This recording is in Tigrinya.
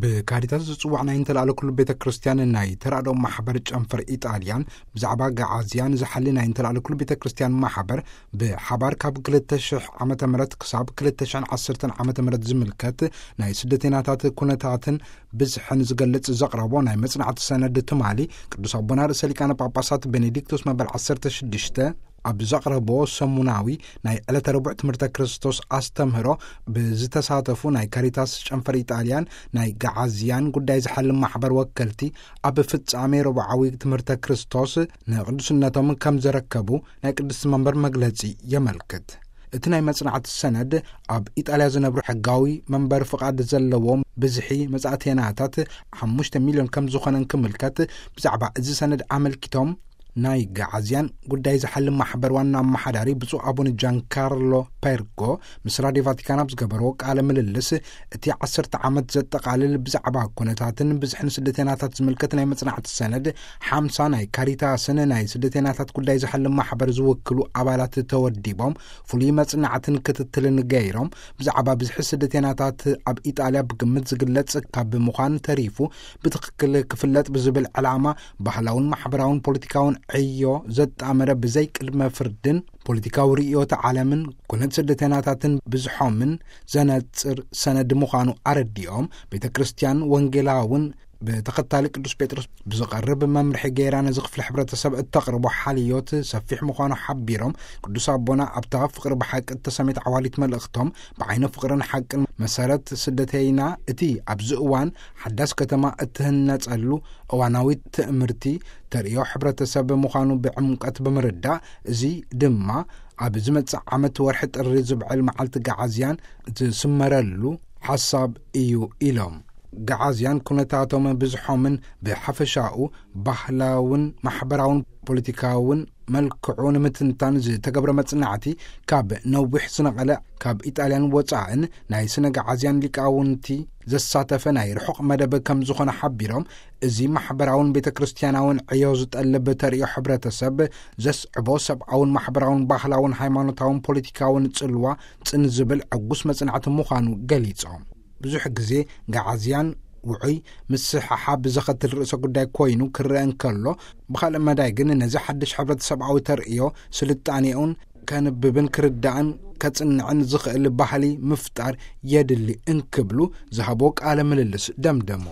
ብካሪታስ ዝጽዋዕ ናይ እንተላለ ኩሉ ቤተ ክርስቲያን ናይ ተራድኦ ማሕበር ጨንፈር ኢጣልያን ብዛዕባ ገዓዝያን ዝሓሊ ናይ እንተላለ ኩሉ ቤተ ክርስቲያን ማሕበር ብሓባር ካብ ክልተ ሽሕ ዓመተ ምህረት ክሳብ ክልተ ሽሕን ዓሰርተን ዓመተ ምህረት ዝምልከት ናይ ስደተኛታት ኩነታትን ብዝሕን ዝገልጽ ዘቕረቦ ናይ መጽናዕቲ ሰነድ ትማሊ ቅዱስ ኣቦና ርእሰ ሊቃነ ጳጳሳት ቤኔዲክቶስ መበል ዓሰርተ ሽዱሽተ ኣብ ዘቕረቦ ሰሙናዊ ናይ ዕለተ ረቡዕ ትምህርተ ክርስቶስ ኣስተምህሮ ብዝተሳተፉ ናይ ካሪታስ ጨንፈር ኢጣልያን ናይ ገዓዝያን ጉዳይ ዝሓልም ማሕበር ወከልቲ ኣብ ፍጻሜ ረቡዓዊ ትምህርተ ክርስቶስ ንቅዱስነቶም ከም ዘረከቡ ናይ ቅድስቲ መንበር መግለጺ የመልክት። እቲ ናይ መጽናዕቲ ሰነድ ኣብ ኢጣልያ ዝነብሩ ሕጋዊ መንበር ፍቓድ ዘለዎም ብዝሒ መጻእተናታት ሓሙሽተ ሚልዮን ከም ዝኾነን ክምልከት ብዛዕባ እዚ ሰነድ ኣመልኪቶም ናይ ገዓዝያን ጉዳይ ዝሓልም ማሕበር ዋና ኣመሓዳሪ ብፁዕ ኣቡነ ጃንካርሎ ፔርጎ ምስ ራድዮ ቫቲካን ኣብ ዝገበርዎ ቃለ ምልልስ እቲ ዓሰርተ ዓመት ዘጠቓልል ብዛዕባ ኩነታትን ብዝሕን ስደተናታት ዝምልከት ናይ መጽናዕቲ ሰነድ ሓምሳ ናይ ካሪታስን ናይ ስደተናታት ጉዳይ ዝሓልም ማሕበር ዝውክሉ ኣባላት ተወዲቦም ፍሉይ መጽናዕትን ክትትልን ገይሮም ብዛዕባ ብዝሒ ስደተናታት ኣብ ኢጣልያ ብግምት ዝግለጽ ካብ ምዃን ተሪፉ ብትኽክል ክፍለጥ ብዝብል ዕላማ ባህላውን ማሕበራውን ፖለቲካውን ዕዮ ዘጣመረ ብዘይ ቅድመ ፍርድን ፖለቲካዊ ርእዮተ ዓለምን ኩነት ስደተናታትን ብዝሖምን ዘነጽር ሰነድ ምዃኑ ኣረዲኦም ቤተ ክርስቲያን ወንጌላውን ብተኸታሊ ቅዱስ ጴጥሮስ ብዝቐርብ መምርሒ ገይራ ነዚ ክፍሊ ሕብረተሰብ እተቕርቦ ሓልዮት ሰፊሕ ምዃኑ ሓቢሮም ቅዱስ ኣቦና ኣብታ ፍቕሪ ብሓቂ እተሰሜት ዓዋሊት መልእኽቶም ብዓይነ ፍቕርን ሓቅን መሰረት ስደተይና እቲ ኣብዚ እዋን ሓዳስ ከተማ እትህነጸሉ እዋናዊ ትእምርቲ ተርእዮ ሕብረተሰብ ምዃኑ ብዕምቀት ብምርዳእ እዚ ድማ ኣብ ዝመጽእ ዓመት ወርሒ ጥሪ ዝብዕል መዓልቲ ገዓዝያን ዝስመረሉ ሓሳብ እዩ ኢሎም። ገዓዝያን ኩነታቶም ብዝሖምን ብሓፈሻኡ ባህላውን ማሕበራውን ፖለቲካውን መልክዑ ንምትንታን ዝተገብረ መጽናዕቲ ካብ ነዊሕ ዝነቐለ ካብ ኢጣልያን ወጻእን ናይ ስነ ገዓዝያን ሊቃውንቲ ዘሳተፈ ናይ ርሑቕ መደብ ከም ዝኾነ ሓቢሮም እዚ ማሕበራውን ቤተ ክርስቲያናውን ዕዮ ዝጠልብ ተርእዮ ሕብረተሰብ ዘስዕቦ ሰብኣውን ማሕበራውን ባህላውን ሃይማኖታውን ፖለቲካውን ጽልዋ ጽን ዝብል ዕጉስ መጽናዕቲ ምዃኑ ገሊጾም። ብዙሕ ግዜ ገዓዝያን ውዑይ ምስሕሓብ ዘኸትል ርእሰ ጉዳይ ኮይኑ ክረአ እንከሎ ብኻልእ መዳይ ግን ነዚ ሓድሽ ሕብረተሰብኣዊ ተርእዮ ስልጣኔኡን ከንብብን ክርዳእን ከጽንዕን ዝኽእል ባህሊ ምፍጣር የድሊ እንክብሉ ዝሃቦ ቃለ ምልልስ ደምደሙ።